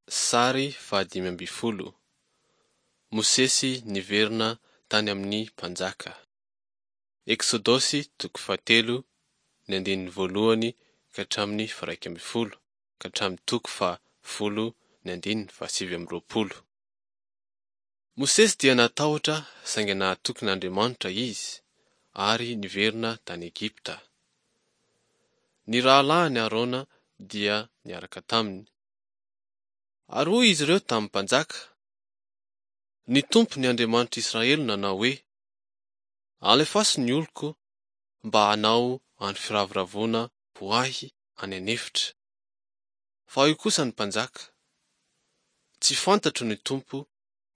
Sary fahadimy ambin'ny folo. Mosesy niverina tany amin'ny mpanjaka. Eksodosy toko fahatelo, ny andininy voalohany ka hatramin'ny faharaika ambin'ny folo ka hatramin'ny toko fahafolo ny andininy fahasivy amby roapolo. Mosesy dia natahotra saingy nahatoky an'Andriamanitra izy ary niverina tany Egypta. Ny rahalahiny Arona dia niaraka taminy. Ary hoy izy ireo tamin'ny mpanjaka, Ny Tompo ny Andriamanitr'i Israely nanao hoe, Alefaso ny oloko mba hanao andro firavoravoana ho ahy any an'efitra. Fa hoy kosa ny mpanjaka, Tsy fantatro ny Tompo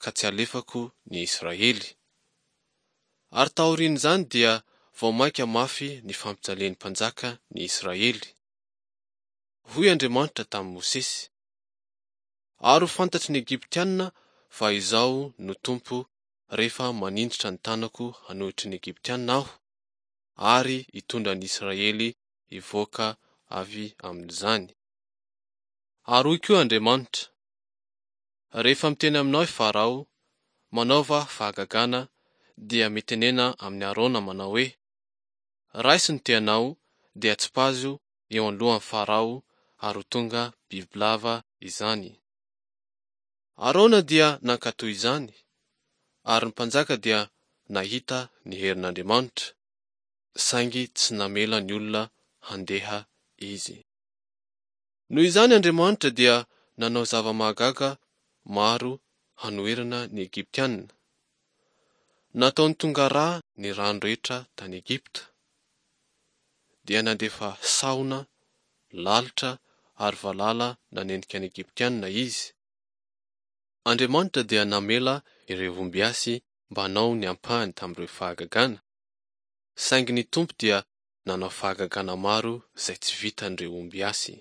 ka tsy alefako ny Israely. Ary taorian'izany dia vao mainka mafy ny fampijalian'ny mpanjaka ny Israely. Hoy Andriamanitra tamin'i Mosesy, Ary ho fantatry ny Egyptiana fa Izaho no Tompo rehefa maninjitra ny tanako hanohitry ny Egyptiana Aho, ary hitondra ny Israely hivoaka avy amin'izany. Ary hoy koa Andriamanitra, Rehefa miteny aminao i Farao, Manaova fahagagana, dia mitenena amin'i Arona manao hoe, Raiso ny tehanao dia tsipazo eo anoloan'i Farao ary ho tonga bibilava izany. Arona dia nankatò izany, ary ny mpanjaka dia nahita ny herin'Andriamanitra, saingy tsy namela ny olona handeha izy. Noho izany Andriamanitra dia nanao zava-mahagaga maro hanoherana ny Egyptiana. Nataony tonga rà ny rano rehetra tany Egypta. Dia nandefa sahona, lalitra ary valala nanenika ny Egyptiana Izy. Andriamanitra dia namela ireo ombiasy mba hanao ny ampahany tamin'ireo fahagagana, saingy ny Tompo dia nanao fahagagana maro izay tsy vitan'ireo ombiasy.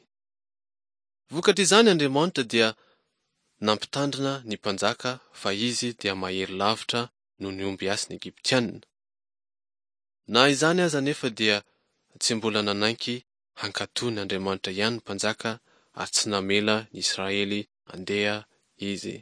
Vokatr'izany Andriamanitra dia nampitandrina ny mpanjaka fa izy dia mahery lavitra noho ny ombiasin'ny Egyptiana. Na izany aza anefa dia tsy mbola nanaiky hankatò ny Andriamanitra ihany ny mpanjaka ary tsy namela ny Israely handeha izy.